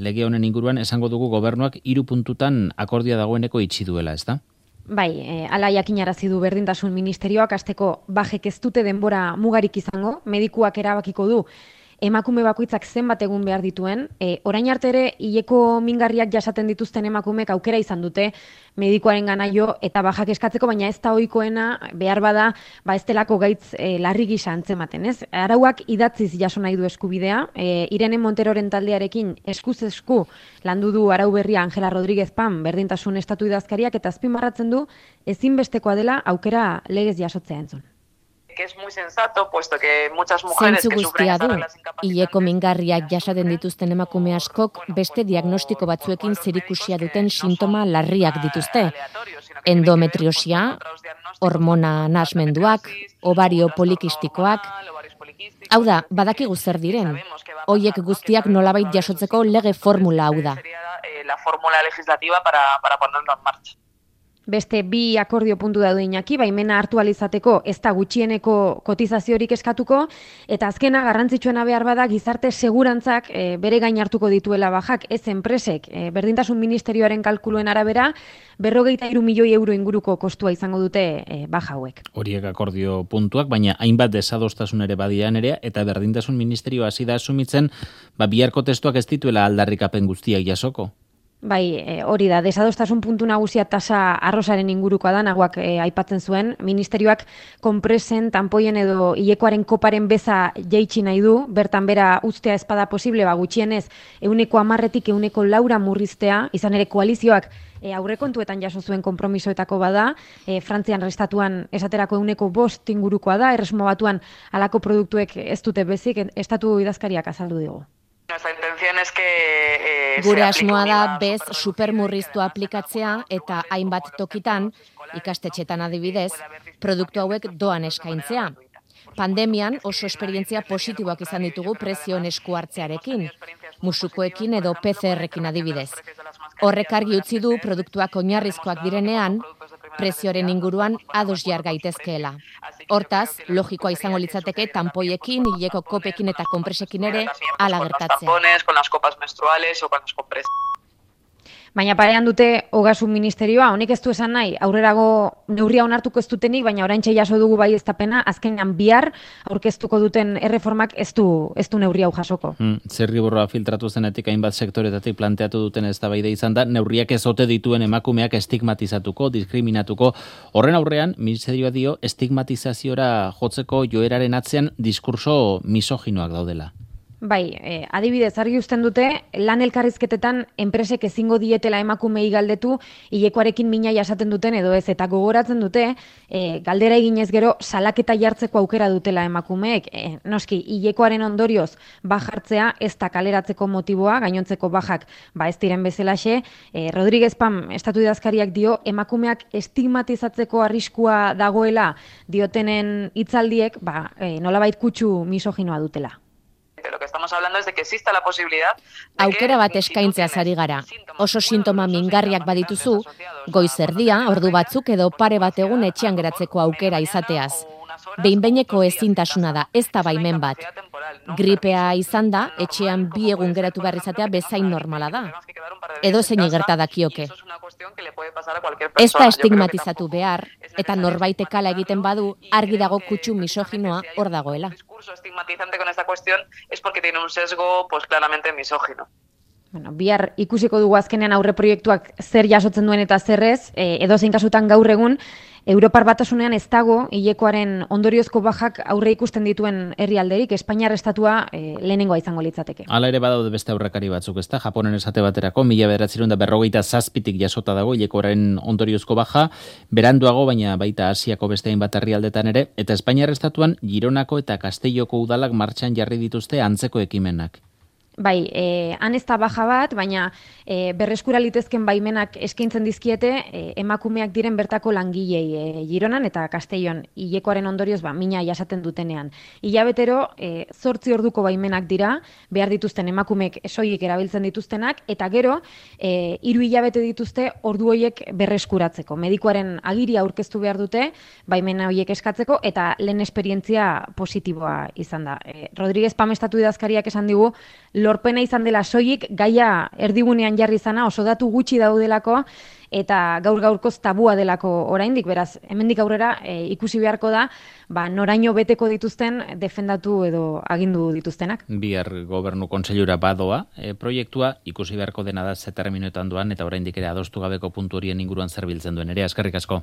lege honen inguruan esango dugu gobernuak 3 puntutan akordioa dagoeneko itxi duela, ezta? Bai, ala jakinarazi du Berdintasun Ministerioak hasteko bajek ez dute denbora mugarik izango, medikuak erabakiko du emakume bakoitzak zenbat egun behar dituen. Orain arte ere hileko mingarriak jasaten dituzten emakumeek aukera izan dute medikuaren gana jo eta bajak eskatzeko, baina ez da ohikoena behar bada ez delako gaitz larri gisa antzematen, ez? Arauak idatziz jaso nahi du eskubidea, Irene Monteroren taldearekin eskuz esku landu du arau berria Angela Rodríguez Pam Berdintasun Estatu idazkariak eta azpimarratzen du ezinbestekoa dela aukera legez jasotzea entzun. Que es muy sensato, puesto que muchas mujeres que sufren estas reglas incapacitantes. Hileko mingarriak jasaten dituzten emakume askok beste diagnostiko batzuekin zerikusia duten sintoma larriak dituzte. Endometriosia, hormona nahasmenduak, ovario polikistikoak. Hau da, badakigu zer diren. Hoiek guztiak nolabait jasotzeko lege formula hau da. La fórmula legislativa para ponerlo en marcha. Beste 2 akordio puntu daude Iñaki, baimena hartu alizateko ez da gutxieneko kotizaziorik eskatuko, eta azkena garrantzitsuena behar bada gizarte segurantzak bere gain hartuko dituela bajak, ez enpresek. Berdintasun Ministerioaren kalkuluen arabera, 53 milioi euro inguruko kostua izango dute baja hauek. Horiek akordio puntuak, baina hainbat desadostasun ere badian ere, eta Berdintasun Ministerioa hasi da asumitzen, biharko testuak ez dituela aldarrikapen guztiak jasoko. Bai, hori da, desadostasun puntu nagusia tasa arrosaren ingurukoa da, naguak aipatzen zuen. Ministerioak konpresen, tanpoien edo hilekoaren koparen beza jaitsi nahi du, bertan bera uztea espada posible, gutxienez, 10%tik 4% murriztea, izan ere koalizioak aurrekontuetan jaso zuen konpromisoetako bada, Frantzian restatuan esaterako 5% ingurukoa da, Erresuma Batuan halako produktuek ez dute bezik, estatu idazkariak azaldu digu. Nuestra intención es que Gure asmoa da bez supermurriztua aplikatzea eta hainbat tokitan, ikastetxetan adibidez, produktu hauek doan eskaintzea. Pandemian oso esperientzia positiboak izan ditugu prezioen esku hartzearekin, musukoekin edo PCR-ekin adibidez. Horrek argi utzi du produktuak oinarrizkoak direnean, prezioaren inguruan ados jar gaitezkeela. Hortaz, logikoa izango litzateke tanpoiekin, hileko kopekin eta konpresekin ere hala gertatzea. Con las copas menstruales o con las compresas. Baina parean dute Ogasun Ministerioa, honek ez du esan nahi, aurrerago neurria onartuko ez dutenik, baina oraintxe jaso dugu baieztapena, azkenean bihar aurkeztuko duten erreformak ez du neurria hau jasoko. Zirriborroa filtratu zenetik hainbat sektoretatik planteatu duten eztabaida izan da, neurriak ez ote dituen emakumeak estigmatizatuko, diskriminatuko. Horren aurrean, Ministerioa dio estigmatizaziora jotzeko joeraren atzean diskurso misoginoak daudela. Bai, adibidez, argi uzten dute, lan elkarrizketetan enpresek ezingo dietela emakumei galdetu, hilekoarekin mina jasaten duten edo ez, eta gogoratzen dute, galdera eginez gero salaketa jartzeko aukera dutela emakumeek. Noski, hilekoaren ondorioz bajartzea ez da kaleratzeko motiboa, gainontzeko bajak ez diren bezalaxe. Rodríguez Pam, estatu idazkariak dio, emakumeak estigmatizatzeko arriskua dagoela diotenen hitzaldiek, nolabait kutsu misoginoa dutela. Lo que estamos hablando es de que exista la posibilidad aukera bat eskaintzeaz ari gara. Oso sintoma mingarriak badituzu, goiz erdia, ordu batzuk edo pare bat egun etxean geratzeko aukera izateaz. Behin-behineko ezintasuna da, ez da baimen bat. Gripea izan da, etxean 2 egun geratu behar izatea bezain normala da. Edo zein gerta dakioke. Ez da estigmatizatu behar, eta norbaitek hala egiten badu, argi dago kutsu misoginoa hor dagoela. El discurso estigmatizante con esta cuestión es porque tiene un sesgo pues claramente misógino. Bihar ikusiko dugu azkenean aurre proiektuak zer jasotzen duen eta zerrez, edozein kasutan gaur egun, Europar Batasunean ez dago hilekoaren ondoriozko bajak aurre ikusten dituen herrialderik, Espainiar estatua lehenengoa izango litzateke. Hala ere badaude beste aurrekari batzuk, ezta? Japonen esate baterako 1957 jasota dago hilekoaren ondoriozko baja, beranduago baina baita Asiako beste hainbat herrialdetan ere, eta Espainiar estatuan Gironako eta Castelloko udalak martxan jarri dituzte antzeko ekimenak. Bai, han ez da baja bat, baina berreskura litezken baimenak eskaintzen dizkiete emakumeak diren bertako langilei Gironan eta Castellon hilekoaren ondorioz mina jasaten dutenean. Hilabetero 8 orduko baimenak dira, behar dituzten emakumeek soilik erabiltzen dituztenak, eta gero 3 hilabete dituzte ordu horiek berreskuratzeko. Medikuaren agiria aurkeztu behar dute, baimena horiek eskatzeko, eta lehen esperientzia positiboa izan da. Rodríguez Pam estatu idazkariak esan digu, lorpena izan dela soilik, gaia erdigunean jarri izana oso datu gutxi daudelako, eta gaur-gaurkoz tabua delako oraindik, beraz, hemendik aurrera ikusi beharko da, noraino beteko dituzten defendatu edo agindu dituztenak. Bihar gobernu kontseilura badoa proiektua, ikusi beharko dena da ze terminoetan doan, eta oraindik ere adostu gabeko puntu horien inguruan zer biltzen duen ere, eskerrik asko.